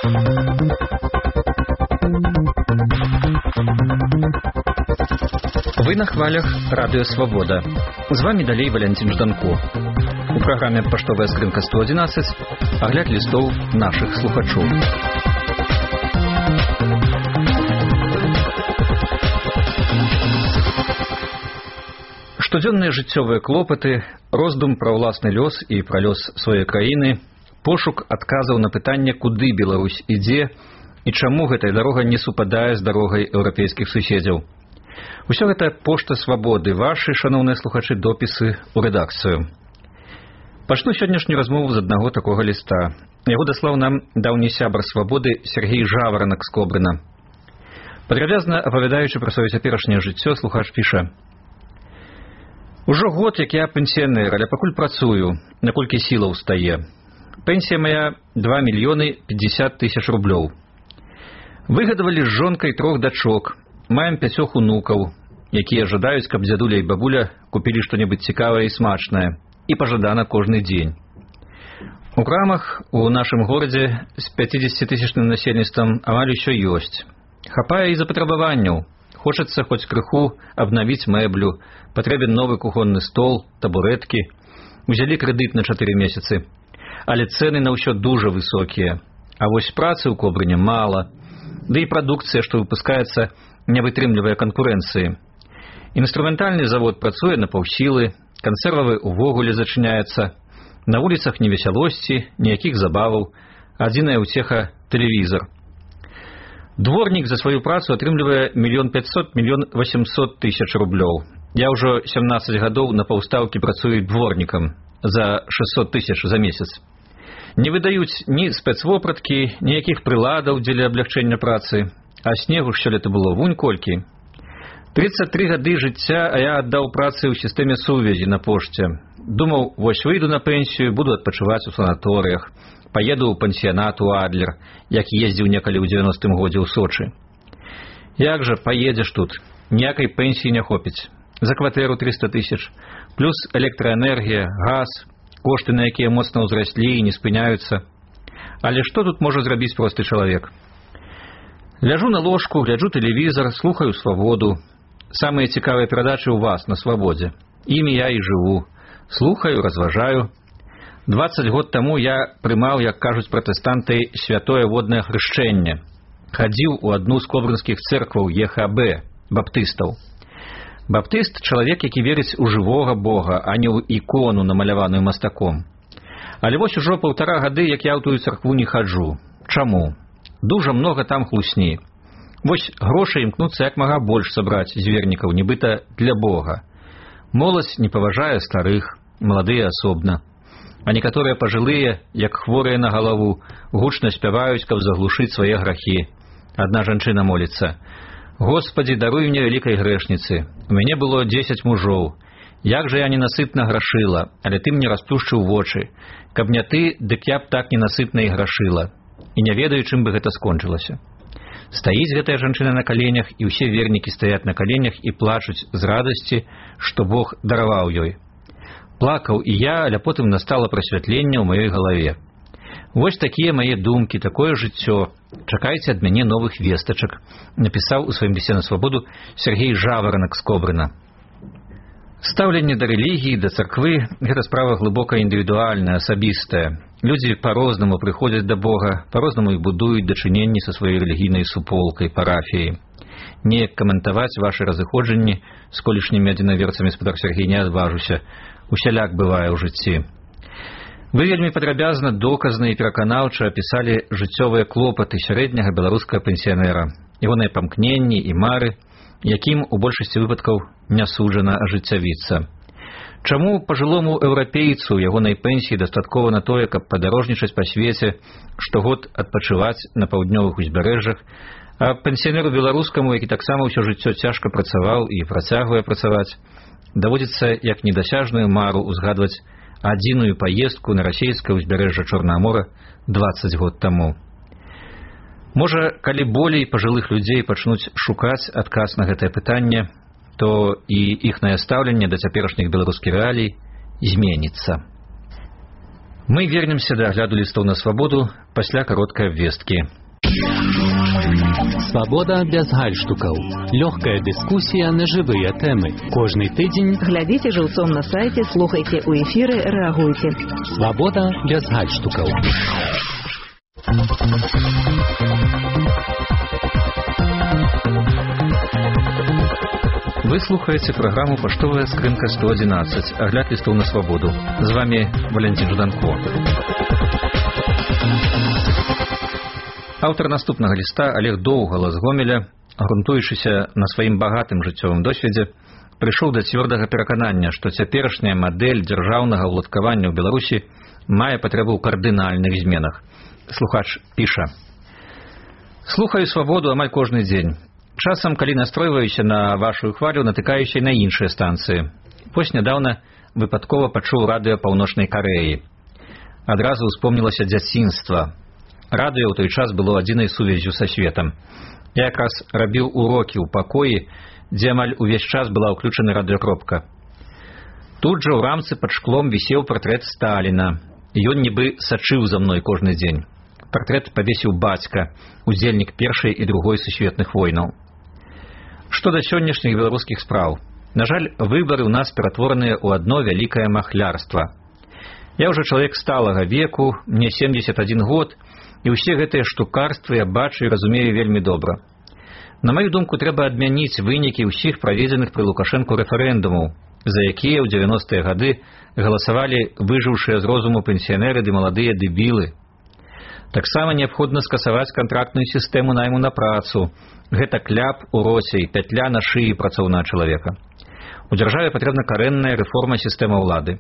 Вы на хвалях Радио Свобода. З вами далей Валентин Жданко. У праграме «Паштовая скрынка 111» агляд лістоў нашых слухачоў. Штодзённыя жыццёвыя клопаты, роздум пра ўласны лёс і пра лёс сваёй краіны, пошук адказаў на пытанне, куды Беларусь ідзе і чаму гэтая дарога не супадае з дарогай еўрапейскіх суседзяў. Усё гэта пошта свабоды, вашы, шаноўныя слухачы, допісы ў рэдакцыю. Пачну сённяшнюю размову з аднаго такога ліста. Яго даслаў нам даўні сябар свабоды Сергей Жаваранак з Кобрына. Падрабязна апавядаючы пра сваё цяперашняе жыццё, слухач піша: «Ужо год, як я пенсіянер, але пакуль працую, наколькі сілаў стае. Пенсія моя 2 мільёны 50 тысяч рублёў. Выгадавалі з жонкай 3 дачок. Маем 5 унукаў, якія жадаюць, каб дзядуля і бабуля купілі што-небудзь цікавае і смачнае, і пажадана кожны дзень. У крамах у нашым горадзе з 50-тысячным насельніцтвам амаль усё ёсць. Хапае і запатрабаванняў. Хочацца хоць крыху абнавіць мэблю, патрэбен новы кухонны стол, табурэткі. Узялі крэдыт на 4 месяцы. Але цэны на ўсё дужа высокія. А вось працы ў Кобрыне мала. Да і прадукцыя, што выпускаецца, не вытрымлівае канкурэнцыі. Інструментальны завод працуе на паўсілы, кансервавы ўвогуле зачыняецца. На вуліцах ні весялосці, ніякіх забаваў, адзіная ўцеха – тэлевізар. Дворнік за сваю працу атрымлівае 1 500–1 800 тысяч рублёў. Я ўжо 17 гадоў на паўстаўкі працую дворнікам за 600 тысяч за месяц. Не выдаюць ні спецвопраткі, ніякіх прыладаў дзеля аблягчэння працы. А снегу ж сёлета было вунь колькі. 33 гады жыцця, а я аддаў працы ў сістэме сувязі на пошце. Думаў, вось выйду на пенсію, буду адпачываць у санаторыях. Паеду ў пансіянат у Адлер, як ездзіў некалі ў 90-м годзе ў Сочы. Як жа паедзеш тут? Ніякай пенсіі не хопіць. За кватэру 300 тысяч, плюс электраэнергія, газ, кошты, на якія моцна ўзраслі і не спыняюцца. Але што тут можа зрабіць просты чалавек? Ляжу на ложку, гляджу тэлевізар, слухаю свабоду. Самыя цікавыя перадачы ў вас на свабодзе. Імі я і жыву. Слухаю, разважаю. 20 год таму я прымаў, як кажуць пратэстанты, святое воднае хрышчэнне. Хадзіў у адну з кобрынскіх цэркваў ЕХБ, баптыстаў. Баптыст – чалавек, які верыць у жывога Бога, а не ў ікону, намаляваную мастаком. Але вось ужо 1,5 гады, як я ў тую царкву не хаджу. Чаму? Дужа многа там хлусні. Вось грошай імкнуцца як мага больш сабраць з вернікаў, нібыта для Бога. Моладзь не паважае старых, маладыя асобна. А некаторыя пажылыя, як хворыя на галаву, гучна спяваюць, каб заглушыць свае грахі. Адна жанчына моліцца: «Господі, даруй мне вялікай грэшніцы. У мяне было 10 мужоў. Як жа я ненасытна грашыла, але ты мне расплюшчыў вочы. Каб не ты, дык я б так ненасытна і грашыла. І не ведаю, чым бы гэта скончылася». Стаіць гэтая жанчына на каленях, і ўсе вернікі стаяць на каленях і плачуць з радасці, што Бог дараваў ёй. Плакаў і я, але потым настала прасвятленне ў маёй галаве. Вось такія мае думкі, такое жыццё. Чакайце ад мяне новых вестачак, напісаў у сваім лісце на свабоду Сергей Жаваранак з Кобрына. Стаўленне да рэлігіі, да царквы – гэта справа глыбока індывідуальная, асабістая. Людзі па-рознаму прыходзяць да Бога, па-рознаму і будуюць дачыненні са сваёй рэлігійнай суполкай, парафіяй. Неяк каментаваць вашы разыходжанні з колішнімі адзінаверцамі, спадар Сергей, не адважуся. Усяляк бывае ў жыцці. Вы вельмі падрабязна, доказна і пераканаўча апісалі жыццёвыя клопаты сярэдняга беларускага пенсіянера, ягоныя памкненні і мары, якім у большасці выпадкаў не суджана ажыццявіцца. Чаму пажылому еўрапейцу ягонай пенсіі дастаткова на тое, каб падарожнічаць па свеце, штогод адпачываць на паўднёвых узбярэжжах, а пенсіянеру беларускаму, які таксама ўсё жыццё цяжка працаваў і працягвае працаваць, даводзіцца як недасяжную мару узгадваць адзіную паездку на расійскае ўзбярэжжа Чорнага мора 20 год таму. Можа, калі болей пажылых людзей пачнуць шукаць адказ на гэтае пытанне, то і іхнае стаўленне да цяперашніх беларускіх рэалій зменіцца. Мы вернемся да агляду лістоў на свабоду пасля кароткай абвесткі. Свабода без гальштукаў. Лёгкая дыскусія на жывыя тэмы. Кожны тыдзень глядзіце жыўцом на сайце, слухайце ў эфіры, рэагуйце. Свабода без гальштукаў. Вы слухаеце праграму «Паштовая скрынка 111», агляд лістоў на свабоду. З вами Валентин Жданко. Аўтар наступнага ліста Олег Доўгала з Гомеля, грунтуючыся на сваім багатым жыццёвым досведзе, прыйшоў да цвёрдага пераканання, што цяперашняя мадэль дзяржаўнага ўладкавання ў Беларусі мае патрэбу ў кардынальных зменах. Слухач піша: «Слухаю свабоду амаль кожны дзень. Часам, калі настройваюся на вашу хвалю, натыкаюся і на іншыя станцыі. Вось нядаўна выпадкова пачуў радыё Паўночнай Карэі. Адразу ўспомнілася дзяцінства. Радыё ў той час было адзінай сувяззю са светам. Я якраз рабіў урокі ў пакоі, дзе амаль увесь час была ўключана радыёкропка. Тут жа ў рамцы пад шклом вісеў партрэт Сталіна. Ён нібы сачыў за мной кожны дзень. Партрэт павесіў бацька, удзельнік Першай і Другой сусветных войнаў. Што да сённяшніх беларускіх спраў. На жаль, выбары ў нас ператвораныя ў адно вялікае махлярства. Я ўжо чалавек сталага веку, мне 71 год, і ўсе гэтыя штукарствы я бачу і разумею вельмі добра. На маю думку, трэба адмяніць вынікі ўсіх праведзеных пры Лукашэнку рэферэндумаў, за якія ў 90-е гады галасавалі выжыўшыя з розуму пенсіянеры ды маладыя дэбілы. Таксама неабходна скасаваць кантрактную сістэму найму на працу. Гэта кляп у роце і пятля на шыі працоўнага чалавека. У дзяржаве патрэбна карэнная рэформа сістэмы ўлады.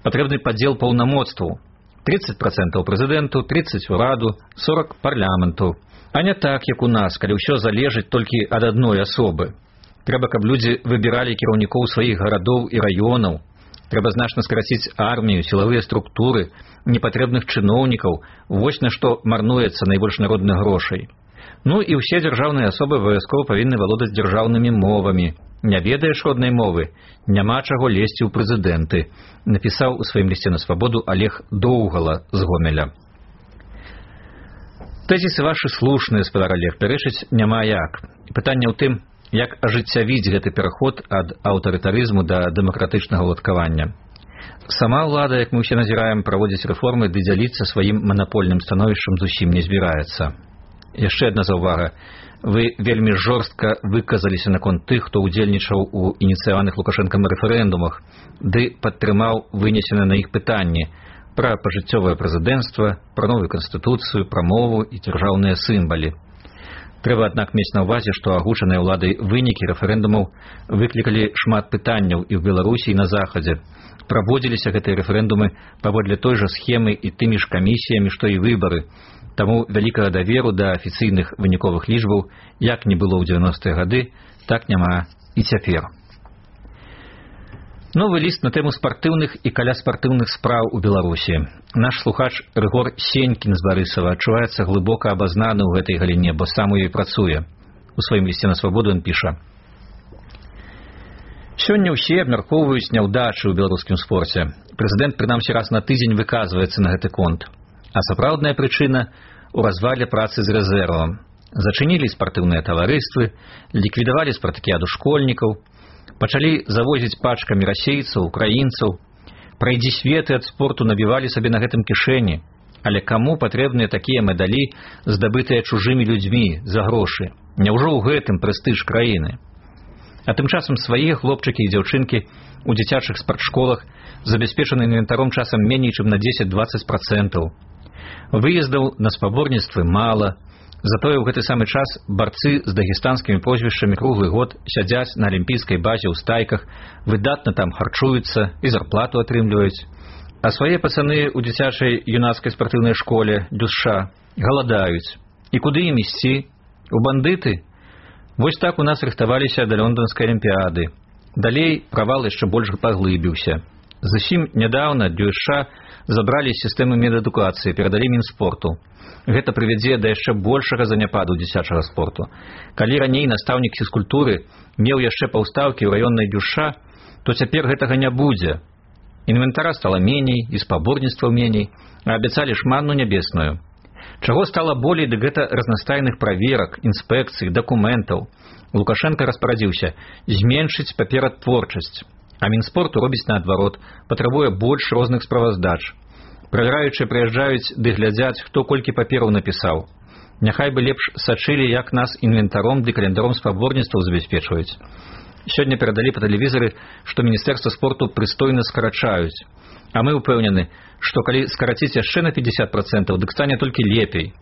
Патрэбны падзел паўнамоцтваў. 30% прэзідэнту, 30% ураду, 40% парламенту. А не так, як у нас, калі ўсё залежыць толькі ад адной асобы. Трэба, каб людзі выбіралі кіраўнікоў сваіх гарадоў і раёнаў. Трэба значна скараціць армію, сілавыя структуры, непатрэбных чыноўнікаў, вось на што марнуецца найбольш народных грошай. Ну і ўсе дзяржаўныя асобы абавязкова павінны валодаць дзяржаўнымі мовамі. Не ведаеш роднай мовы, няма чаго лезці ў прэзідэнты, напісаў у сваім лісце на свабоду Олег Доўгала з Гомеля. Тэзісы вашы слушныя, спадар Олег, пярэчыць няма як. Пытанне ў тым, як ажыццявіць гэты пераход ад аўтарытарызму да дэмакратычнага ўладкавання. Сама ўлада, як мы ўсе назіраем, праводзіць рэформы ды дзяліцца сваім манапольным становішчам зусім не збіраецца. Яшчэ адна заўвага. Вы вельмі жорстка выказаліся наконт тых, хто ўдзельнічаў у ініцыяваных Лукашэнкам рэферэндумах, ды падтрымаў вынесены на іх пытанні пра пажыццёвае прэзідэнцтва, пра новую канстытуцыю, пра мову і дзяржаўныя сімвалы. Трэба, аднак, мець на ўвазе, што агучаныя ўладай вынікі рэферэндумаў выклікалі шмат пытанняў і ў Беларусі, і на Захадзе. Праводзіліся гэтыя рэферэндумы паводле той жа схемы і тымі ж камісіямі, што і выбары. Таму вялікага даверу да афіцыйных выніковых лічбаў як не было ў 90-е гады, так няма і цяпер. Новы ліст на тэму спартыўных і каляспартыўных спраў у Беларусі. Наш слухач Рыгор Сенькін з Барысава адчуваецца глыбока абазнаны ў гэтай галіне, бо сам у ёй працуе. У сваім лісце на свабоду ён піша: «Сёння ўсе абмяркоўваюць няўдачы ў беларускім спорце. Прэзідэнт прынамсі раз на тыдзень выказваецца на гэты конт. А сапраўдная прычына ў развале працы з рэзервам. Зачынілі спартыўныя таварыствы, ліквідавалі спартакіяду школьнікаў, пачалі завозіць пачкамі расейцаў, украінцаў. Прайдзі светы ад спорту набівалі сабе на гэтым кішэні. Але каму патрэбныя такія медалі, здабытыя чужымі людзьмі за грошы? Няўжо ў гэтым прэстыж краіны? А тым часам свае хлопчыкі і дзяўчынкі у дзіцячых спартшколах забяспечаны інвентаром часам меней, чым на 10-20%. Выездаў на спаборніцтвы мала, затое ў гэты самы час барцы з дагестанскімі прозвішчамі круглы год сядзяць на алімпійскай базе ў стайках, выдатна там харчуюцца і зарплату атрымліваюць. А свае пацаны ў дзіцячай юнацкай спартыўнай школе ДЮСШ галадаюць. І куды ім ісці? У бандыты? Вось так у нас рыхтаваліся да лондонскай алімпіяды. Далей правал яшчэ больш паглыбіўся. Зусім нядаўна ДЮСШ забралі з сістэмы медадукацыі, перадалі Мінспорту. Гэта прывядзе да яшчэ большага заняпаду дзіцячага спорту. Калі раней настаўнік фізкультуры меў яшчэ паўстаўкі ў раённай ДЮСШ, то цяпер гэтага не будзе. Інвентара стала меней, і спаборніцтваў меней, а абяцалі ж манну нябесную. Чаго стала болей, дык гэта разнастайных праверак, інспекцый, дакументаў. Лукашенко распарадзіўся зменшыць паператворчасць, а Мінспорту робіць наадварот, патрабуе больш розных справаздач. Правяраючыя прыязджаюць ды глядзяць, хто колькі папераў напісаў. Няхай бы лепш сачылі, як нас інвентаром ды календаром спаборніцтваў забяспечваюць. Сёння перадалі па тэлевізары, што Міністэрства спорту прыстойна скарачаюць. А мы ўпэўнены, што калі скараціць яшчэ на 50%, дык стане толькі лепей.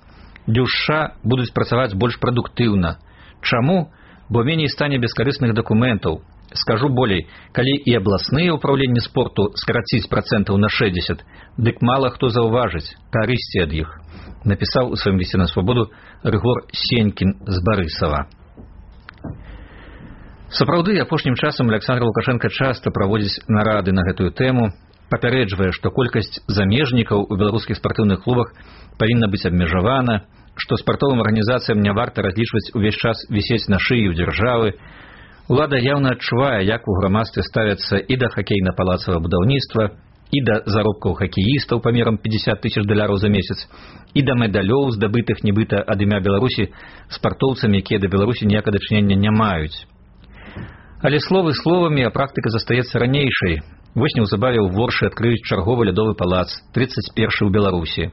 Дзюшша будуць працаваць больш прадуктыўна. Чаму? Бо меней стане бескарысных дакументаў. Скажу болей, калі і абласныя ўпраўленні спорту скараціць процентаў на 60, дык мала хто заўважыць карысці ад іх, напісаў у сваім лісце на свабоду Рыгор Сенькін з Барысава. Сапраўды, апошнім часам Александр Лукашенко часта праводзіць нарады на гэтую тэму, папярэджвае, што колькасць замежнікаў у беларускіх спартыўных клубах павінна быць абмежавана, што спартовым арганізацыям не варта разлічваць увесь час вісець на шыі ў дзяржавы. Улада яўна адчувае, як у грамадстве ставяцца і да хакейна-палацавага будаўніцтва, і да заробкаў хакеістаў памерам $50 000 за месяц, і да медалёў, здабытых нібыта ад імя Беларусі спартоўцамі, якія да Беларусі ніякага дачынення не маюць. Але словы словамі, а практыка застаецца ранейшай. Вось неўзабаве ў Воршы адкрыюць чарговы лядовы палац, 31-й у Беларусі.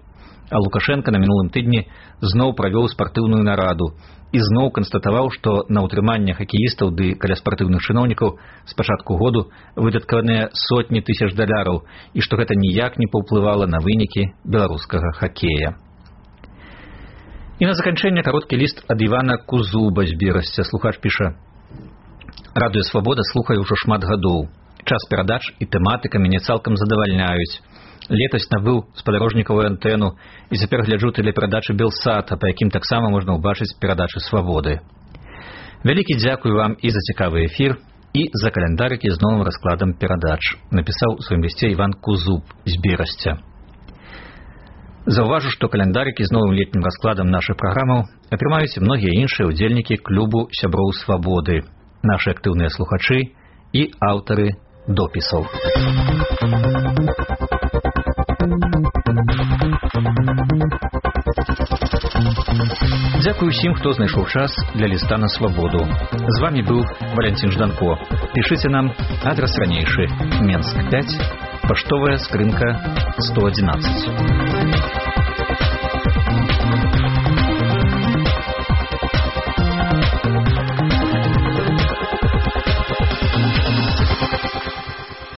А Лукашенко на мінулым тыдні зноў правёў спартыўную нараду і зноў канстатаваў, што на ўтрыманне хакеістаў ды каля спартыўных чыноўнікаў з пачатку году выдаткаваныя сотні тысяч $, і што гэта ніяк не паўплывала на вынікі беларускага хакея. І на заканчэнне кароткі ліст ад Івана Кузуба з Берасця. Слухач піша: «Радыё Свабода слухаю ўжо шмат гадоў. Час перадач і тэматыка мяне цалкам задавальняюць. Летась набыў спадарожнікавую антэну і цяпер гляджу тэлеперадачы Белсата, па якім таксама можна ўбачыць перадачы Свабоды. Вялікі дзякуй вам і за цікавы эфір, і за календарыкі з новым раскладам перадач», напісаў у сваім лісце Іван Кузуб з Берасця. Заўважу, што календарыкі з новым летнім раскладам нашых праграмаў атрымаюць і многія іншыя ўдзельнікі клубу сяброў Свабоды, нашы актыўныя слухачы і аўтары допісаў. Дзякуй усім, хто знайшоў час для ліста на Свабоду. З вами быў Валянцін Жданко. Пішыце нам, адрас ранейшы: Менск 5, паштовая скрынка 111.